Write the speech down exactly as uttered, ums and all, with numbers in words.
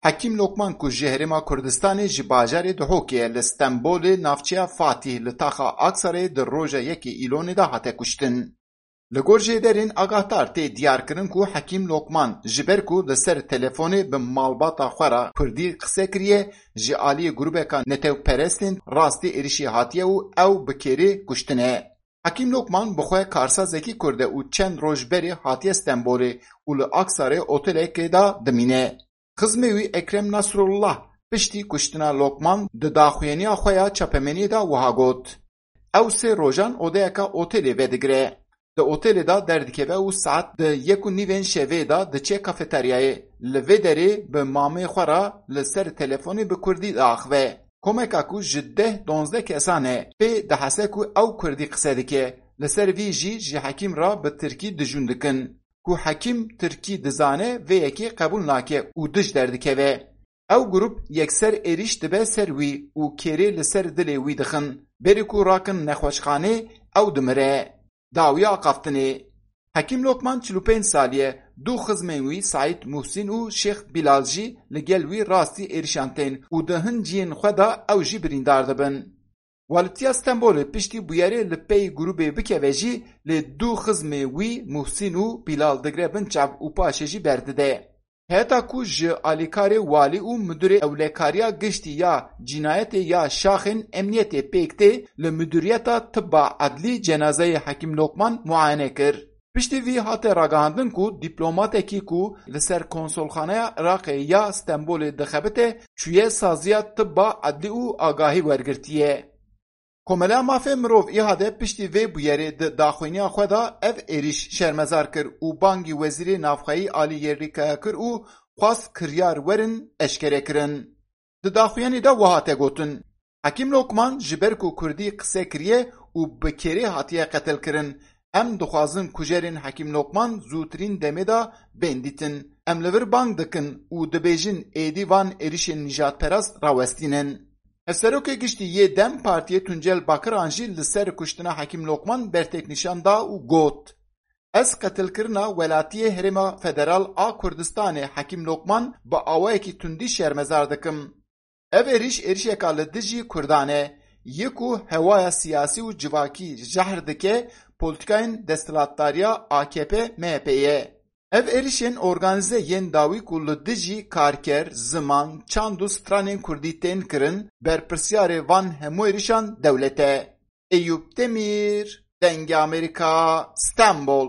Hekîm Lokman ku ji Herêma Kurdistanê ji bajarê Duhokê ye, li Stenbolê navçeya Fatîh li taxa Aksarayê di roja yekê Îlonê de hate kuştin. Li gor jêderên agahtar tê diyarkirin ku Hekîm Lokman ji ber ku li ser telefonê bi malbata xwe re kurdî qise kiriye, ji aliyê grûbeka netewperestên rastî êrişî hatiye û ew bi kêrê kuştine. Hekîm Lokman bi xwe karsazekî Kurd e û çend roj berê hatiye Stenbolê û li Aksarê otelekê de dimîne. Xizmê wî Ekrem Nasrullah piştî kuştina Lokman di daxuyaniya xwe ya çapemeniyê de wiha got, Ew sê rojan odeyeka otelê vedigire. Di otelê de derdikeve û saet di yek û nîvên şevê de diçe kafeteryayê. Li vê derê bi mamê xwe re li ser telefonê bi kurdî diaxive. Komeka ku ji deh donzdeh kesan e, pê dihese ku ew kurdî qise dike. Li ser vî jî ji Hekîm re bi tirkî dijûn dikin. Ku Hekîm tirkî dizane, vê yekê qebûl nake û dij derdikeve. Ew grûp yekser êrîş dibe ser wî û kêrê li ser dilê wî dixin. Berî ku rakin nexweşxanê, ew dimire. Dawiya axaftinê. Hekîm Lokman çil û pênc salî ye. Du xizmên wî Saîd Muhsîn û Şêx Bilal jî li gel wî rastî êrişan tên û di hin cihên xwe de ew jî birîndar dibin. Walitiya Stenbolê piştî bûyerê li pey grûbê bikeve jî, lê du xizmê wî Muhsîn û Bilal digre bin çav û paşê jî berdide. Heta ku ji alîkarê walî û mudurê ewlekariya giştî ya cînayetê ya şaxên emniyetê pêk tê, li muduriyeta tibba edlî cenazeyê Hekîm Lokman muayene kir. Piştî vî hate ragihandin ku dîplomatekî ku li ser konsolxaneya Iraqê ya Stenbolê dixebite, çûye saziya tibba edlî û agahî wergirtiye. Komeleya Mafê Mirov, ÎHD, piştî vê bûyerê di daxuyaniya xwe de ev êrîş şermezar kir û bangî Wezîrê Navxweyî Alî Yerlîkaya kir û xwest kiryar werin eşkerekirin. Di daxuyanî de wiha hate gotin, Hekîm Lokman ji ber ku kurdî qise kiriye û bi kêrê hatiye qetilkirin, em dixwazin kujerên Hekîm Lokman zûtirîn demê de bên dîtin. Em li vir bang dikin û dibêjin êdî van êrişên nîjadperast rawestînin. Hevserokê Giştî yê DEM Partiyê Tuncel Bakiran jî li ser kuştina Hekîm Lokman bertek nîşan da û got, Ez qetilkirina welatiyê Herêma Federal a Kurdistanê Hekîm Lokman bi awayekî tundî şermezar dikim. Ev êrîş êrişeka li dijî Kurdan e, yê ku hewaya siyasî û civakî jehr dike polîtîkayên desthilatdariya A K P M H P'ê ye. Ev êrişên organîze yên dawî ku li dijî karker, ziman, çand û stranên kurdî tên kirin, berpirsyarê van hemû êrişan dewlet e. Eyûp Demîr, Dengê Amerîka, Stenbol.